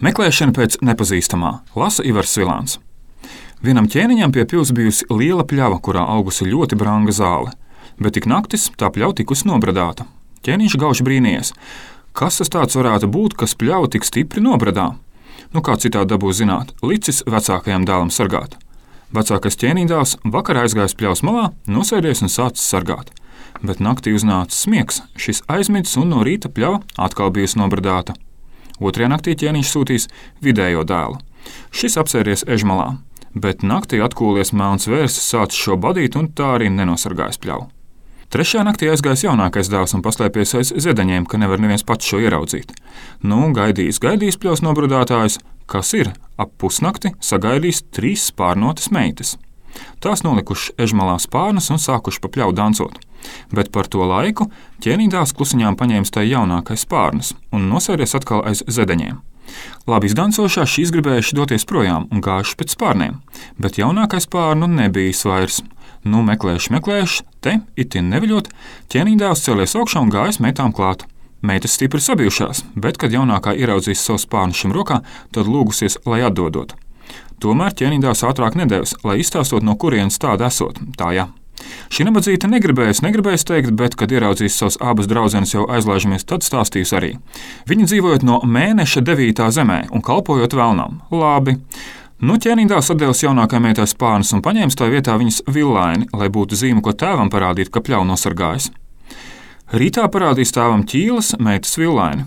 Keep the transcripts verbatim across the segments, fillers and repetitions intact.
Meklēšana pēc nepazīstamā, lasa Ivars Svilāns. Vienam ķēniņam pie pils bijusi liela pļava, kurā augusi ļoti branga zāle, bet tik naktis tā pļava tikusi nobradāta. Ķēniņš gauži brīnījies, kas tas tāds varētu būt, kas pļavu tik stipri nobradā. Nu kā citādi dabūs zināt, licis vecākajam dēlam sargāt. Vecākais ķēniņdēls vakarā aizgājis pļavas malā, nosēdies un sācis sargāt. Bet naktī uznāca smiegs, šis aizmidzis un no rīta pļava atkal bijusi nobradāta. Otrajā naktī ķēniņš sūtīs vidējo dēlu. Šis apsēries ežmalā, bet naktī atkūlies melns vērsis sācis šo badīt un tā arī nenosargājis pļavu. Trešajā naktī aizgājis jaunākais dēls un paslēpies aiz zedeņiem, ka nevar neviens pats šo ieraudzīt. Nu, gaidījis, gaidījis pļavas nobradātājs, kas ir ap pusnakti sagaidījis trīs spārnotas meitas. Tās nolikušas ežmalā spārnas un sākuši pa pļavu dancot, bet par to laiku ķēniņdēls klusiņām paņēmis tai jaunākais spārnas un nosēries atkal aiz zedeņiem. Labi izdancošā šīs gribējuši doties projām un gājuši pēc spārniem, bet jaunākais spārnu nebijis vairs. Nu, meklējuši, meklējuši, te, itin neviļot, ķēniņdēls cēlies augšā un gājis meitām klāt. Meitas stipri sabijušās, bet, kad jaunākā ieraudzīs savu spārnu šim rokā, tad lūgusies, lai atdodot. Tomēr ķēniņdēls ātrāk nedevis, lai izstāstot, no kurienes tāda esot. Tā jā. Šī nabadzīte negribējas, negribējas teikt, bet, kad ieraudzīs savas abas draudzenes jau aizlaižamies, tad stāstījis arī. Viņi dzīvojot no mēneša devītā zemē un kalpojot velnam. Labi. Nu, ķēniņdēls atdevis jaunākajai meitai spārnas un paņēmis tā vietā viņas villaini, lai būtu zīme, ko tēvam parādīt, ka pļavu nosargājis. Rītā parādīs tēvam ķīlas meitas villaini.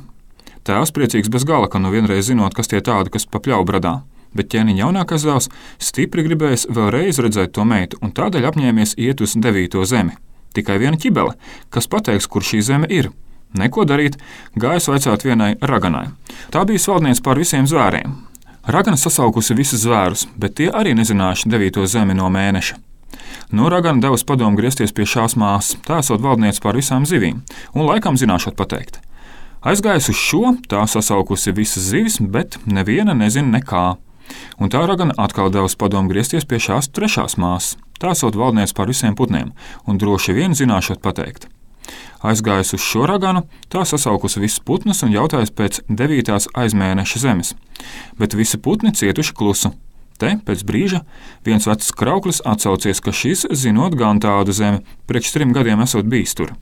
Tēvs priecīgs bez gala, ka nu vienreiz zinot, kas tie tādi, kas pa pļavu bradā. Bet ķēniņa jaunākais dēls stipri gribējis vēlreiz redzēt to meitu un tādēļ apņēmies iet uz devīto zemi. Tikai viena ķibele, kas pateiks, kur šī zeme ir. Neko darīt, gājis vaicāt vienai raganai. Tā bija valdniece pār visiem zvēriem. Ragana sasaukusi visus zvērus, bet tie arī nezinājuši devīto zemi no mēneša. No Ragana devusi padomu griezties pie šās māsas, tā esot valdniece pār visām zivīm, un laikam zināšot pateikt. Aizgājis uz šo, tā sasaukusi visas zivis, bet neviena nezina nekā. Un tā Ragana atkal devusi padomu griezties pie šās trešās māsas, tā esot valdniece pār visiem putniem, un droši vien zināšot pateikt. Aizgājis uz šo Raganu, tā sasaukusi visus putnus un jautājis pēc devītās aizmēneša zemes, bet visi putni cietuši klusu. Te, pēc brīža, viens vecs krauklis atsaucies, ka šis zinot gan tādu zemi, priekš trim gadiem esot bijis tur.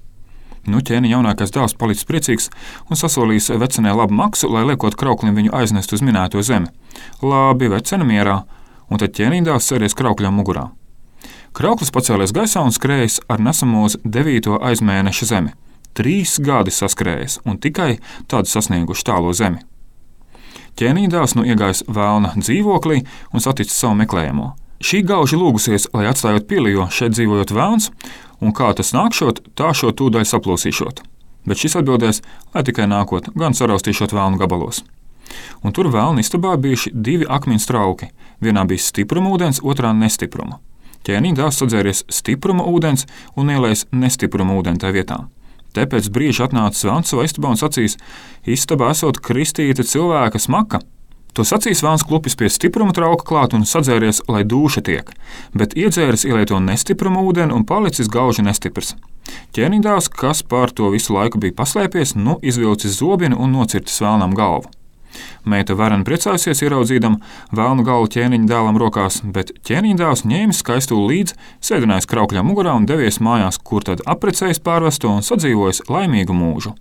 Nu, ķēniņa jaunākais dēls palicis priecīgs un sasolījis vecenē labu maksu, lai liekot krauklim viņu aiznest uz minēto zemi. Labi, vecene mierā, un tad ķēniņdēls sēries kraukļam mugurā. Krauklis pacēlies gaisā un skrējis ar nesamo uz devīto aizmēneša zemi. Trīs gadi saskrējis un tikai tādu sasnieguši tālo zemi. Ķēniņdēls nu iegājis vēlna dzīvoklī un saticis savu meklējamo. Šī gauži lūgusies, lai atstājot pili, jo šeit dzīvojot vēlns, un kā tas nākšot, tā šo tūdaļ saplosīšot. Bet šis atbildēs, lai tikai nākot, gan saraustīšot vēlnu gabalos. Un tur vēlna istabā bijuši divi akmeņu trauki. Vienā bija stipruma ūdens, otrā nestipruma. Ķēniņdēls sadzēries stipruma ūdens un ielējis nestipruma ūdeni tajā vietā. Te pēc brīža atnācis vēlns savā istabā un sacīs, istabā esot kristīta cilvēka smaka. To sacīs vēlns klupis pie stipruma trauka klāt un sadzēries, lai dūša tiek, bet iedzēris ielieto nestipruma ūdeni un palicis gauži nestiprs. Ķēniņdēls, kas pār to visu laiku bija paslēpies, nu izvilcis zobenu un nocirtis vēlnam galvu. Meita vareni priecājusies ieraudzīdama vēlnu galvu ķēniņa dēlam rokās, bet ķēniņdēls ņēmis skaistuli līdz, sēdinājis kraukļā mugurā un devies mājās, kur tad apprecējis pārvesto un sadzīvojis laimīgu mūžu.